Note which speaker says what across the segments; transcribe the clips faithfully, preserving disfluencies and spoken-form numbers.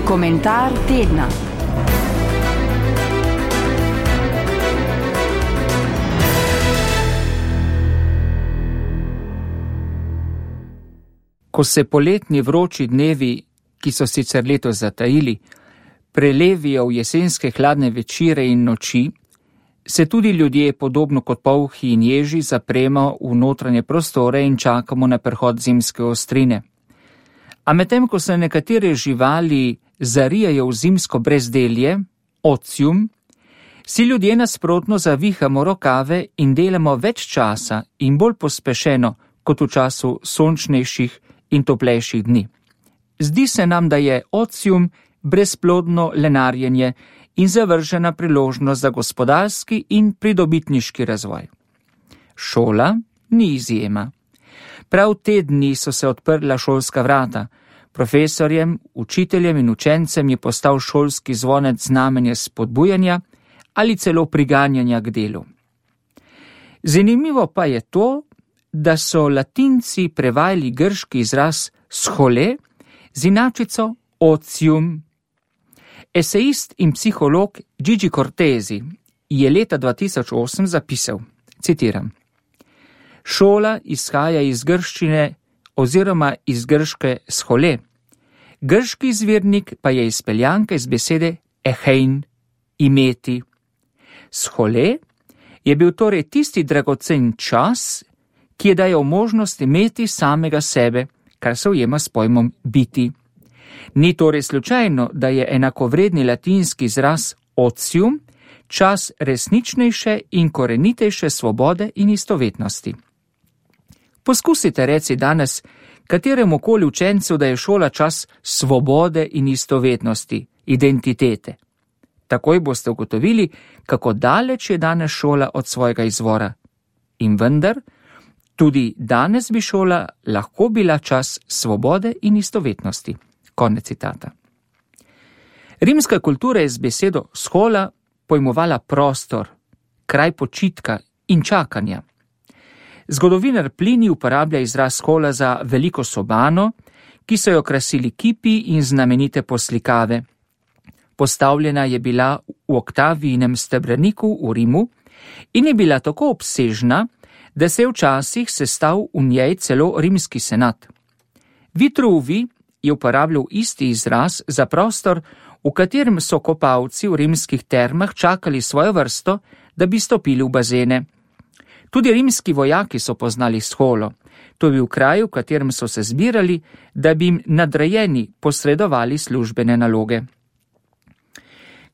Speaker 1: Komentar tedna.
Speaker 2: Ko se poletni vroči dnevi, ki so sicer letos zatajili, prelevijo v jesenske hladne večere in noči, se tudi ljudje, podobno kot polhi in ježi, zapremo v notranje prostore in čakamo na prehod zimske ostrine. A medtem, ko se nekatere živali zarijajo v zimsko brezdelje, ocium, si ljudje nasprotno zavihamo rokave in delamo več časa in bolj pospešeno kot v času sončnejših in toplejših dni. Zdi se nam, da je ocium brezplodno lenarjenje in zavržena priložnost za gospodarski in pridobitniški razvoj. Šola ni izjema. Prav te dni so se odprla šolska vrata. Profesorjem, učiteljem in učencem je postal šolski zvonec znamenje spodbujanja ali celo priganjanja k delu. Zanimivo pa je to, da so Latinci prevajali grški izraz schole z inačico ocium. Esejist in psiholog Gigi Cortesi je leta dva tisoč osem zapisal, citiram: Šola izhaja iz grščine oziroma iz grške schole. Grški izvirnik pa je izpeljanka iz besede echein, imeti. Schole je bil torej tisti dragocen čas, ki je dajal možnost imeti samega sebe, kar se ujema s pojmom biti. Ni torej slučajno, da je enakovredni latinski izraz ocium čas resničnejše in korenitejše svobode in istovetnosti. Poskusite reci danes kateremu koli učencu, da je šola čas svobode in istovetnosti, identitete. Takoj boste ugotovili, kako daleč je danes šola od svojega izvora. In vendar, tudi danes bi šola lahko bila čas svobode in istovetnosti. Konec citata. Rimska kultura je z besedo schola pojmovala prostor, kraj počitka in čakanja. Zgodovinar Plinij uporablja izraz schola za veliko sobano, ki so jo krasili kipi in znamenite poslikave. Postavljena je bila v Oktavijinem stebraniku v Rimu in je bila tako obsežna, da se je včasih sestal v njej celo rimski senat. Vitruvi je uporabljal isti izraz za prostor, v katerem so kopalci v rimskih termah čakali svojo vrsto, da bi stopili v bazene. Tudi rimski vojaki so poznali scholo. To je bil kraj, v katerem so se zbirali, da bi jim nadrejeni posredovali službene naloge.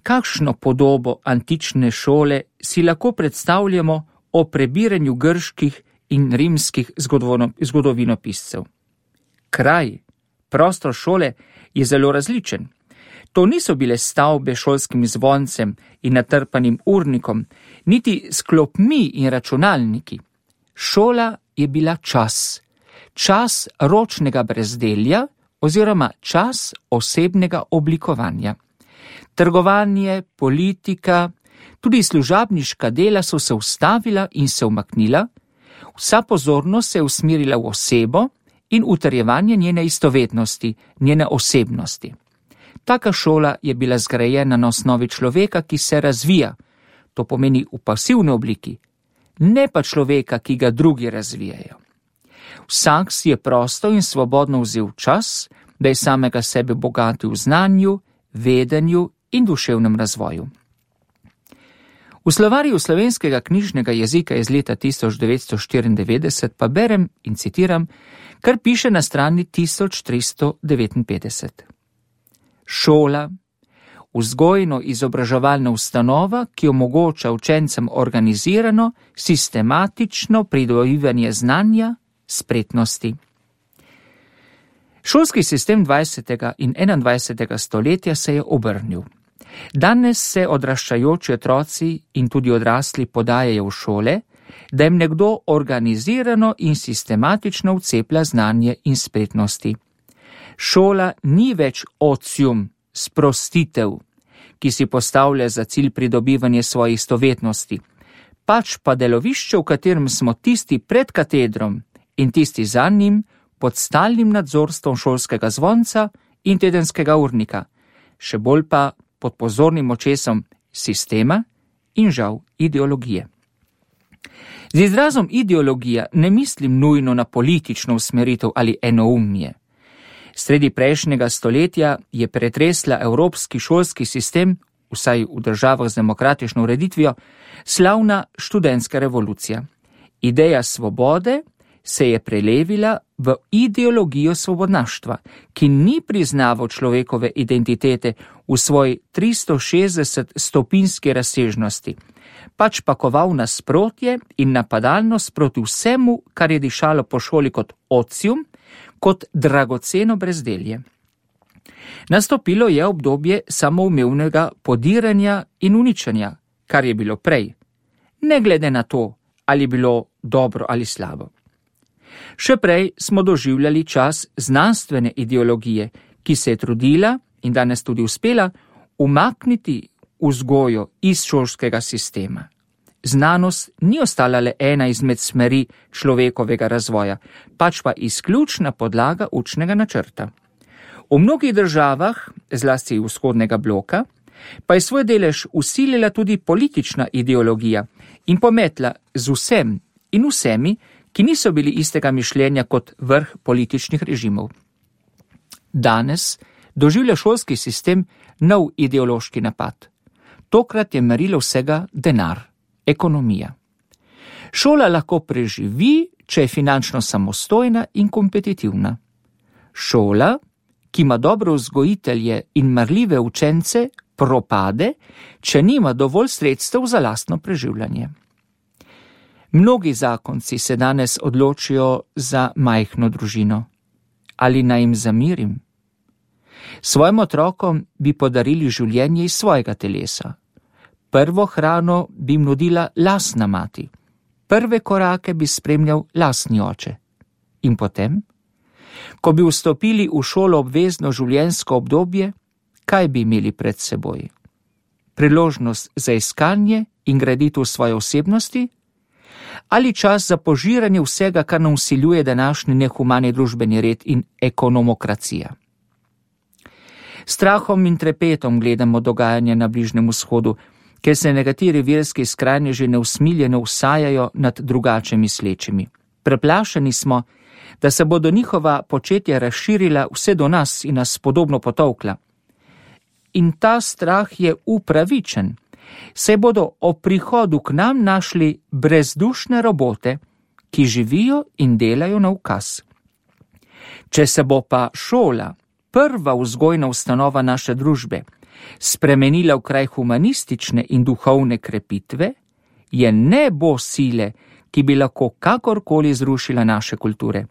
Speaker 2: Kakšno podobo antične šole si lahko predstavljamo o prebiranju grških in rimskih zgodovinopiscev? Kraj, prostor šole je zelo različen. To niso bile stavbe s šolskim zvoncem in natrpanim urnikom, niti s klopmi in računalniki. Šola je bila čas, čas ročnega brezdelja oziroma čas osebnega oblikovanja. Trgovanje, politika, tudi služabniška dela so se ustavila in se umaknila, vsa pozornost se je usmerila v osebo in utrjevanje njene istovetnosti, njene osebnosti. Taka šola je bila zgrajena na osnovi človeka, ki se razvija, to pomeni v pasivni obliki, ne pa človeka, ki ga drugi razvijajo. Vsak si je prosto in svobodno vzel čas, da je samega sebe bogatil v znanju, vedenju in duševnem razvoju. V slovarju slovenskega knjižnega jezika iz leta tisoč devetsto štiriindevetdeset pa berem in citiram, kar piše na strani tisoč tristo devetinpetdeset. Šola, vzgojno-izobraževalna ustanova, ki omogoča učencem organizirano, sistematično pridobivanje znanja, spretnosti. Šolski sistem dvajsetega in enaindvajsetega stoletja se je obrnil. Danes se odraščajoči otroci in tudi odrasli podajajo v šole, da jim nekdo organizirano in sistematično vceplja znanje in spretnosti. Šola ni več ocium, sprostitev, ki si postavlja za cilj pridobivanje svojih istovetnosti, pač pa delovišče, v katerem smo tisti pred katedrom in tisti za njim pod stalnim nadzorstvom šolskega zvonca in tedenskega urnika, še bolj pa pod pozornim očesom sistema in žal ideologije. Z izrazom ideologija ne mislim nujno na politično usmeritev ali enoumje. Sredi prejšnjega stoletja je pretresla evropski šolski sistem, vsaj v državah z demokratično ureditvijo, slavna študentska revolucija. Ideja svobode se je prelevila v ideologijo svobodnaštva, ki ni priznaval človekove identitete v svoji tristo šestdeset stopinjski razsežnosti, pač pa koval nasprotje in napadalnost proti vsemu, kar je dišalo po šoli kot ocium, kot dragoceno brezdelje. Nastopilo je obdobje samoumevnega podiranja in uničenja, kar je bilo prej, ne glede na to, ali bilo dobro ali slabo. Še prej smo doživljali čas znanstvene ideologije, ki se je trudila in danes tudi uspela umakniti vzgojo iz šolskega sistema. Znanost ni ostala le ena izmed smeri človekovega razvoja, pač pa izključna podlaga učnega načrta. V mnogih državah, zlasti vzhodnega bloka, pa je svoj delež usilila tudi politična ideologija in pometla z vsem in vsemi, ki niso bili istega mišljenja kot vrh političnih režimov. Danes doživlja šolski sistem nov ideološki napad. Tokrat je merilo vsega denar, ekonomija. Šola lahko preživi, če je finančno samostojna in kompetitivna. Šola, ki ima dobre vzgojitelje in marljive učence, propade, če nima dovolj sredstev za lastno preživljanje. Mnogi zakonci se danes odločijo za majhno družino. Ali naj jim zamirim? Svojim otrokom bi podarili življenje iz svojega telesa. Prvo hrano bi jim nudila lastna mati. Prve korake bi spremljal lastni oče. In potem? Ko bi vstopili v šolo obvezno življenjsko obdobje, kaj bi imeli pred seboj? Priložnost za iskanje in graditev svoje osebnosti? Ali čas za požiranje vsega, kar nam vsiljuje današnji nehumani družbeni red in ekonomokracija? Strahom in trepetom gledamo dogajanje na Bližnjem vzhodu, ker se nekateri verski skrajneži neusmiljeno vsajajo nad drugače mislečimi. Preplašeni smo, da se bodo njihova početja razširila vse do nas in nas podobno potolkla. In ta strah je upravičen, saj bodo ob prihodu k nam našli brezdušne robote, ki živijo in delajo na ukaz. Če se bo pa šola, prva vzgojna ustanova naše družbe, spremenila v kraj humanistične in duhovne krepitve, je ne bo sile, ki bi lahko kakorkoli zrušila naše kulture.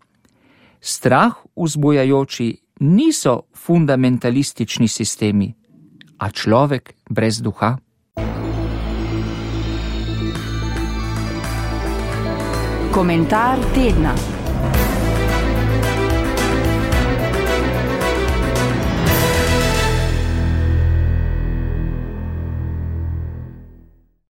Speaker 2: Strah vzbujajoči niso fundamentalistični sistemi, a človek brez duha.
Speaker 1: Komentar tedna.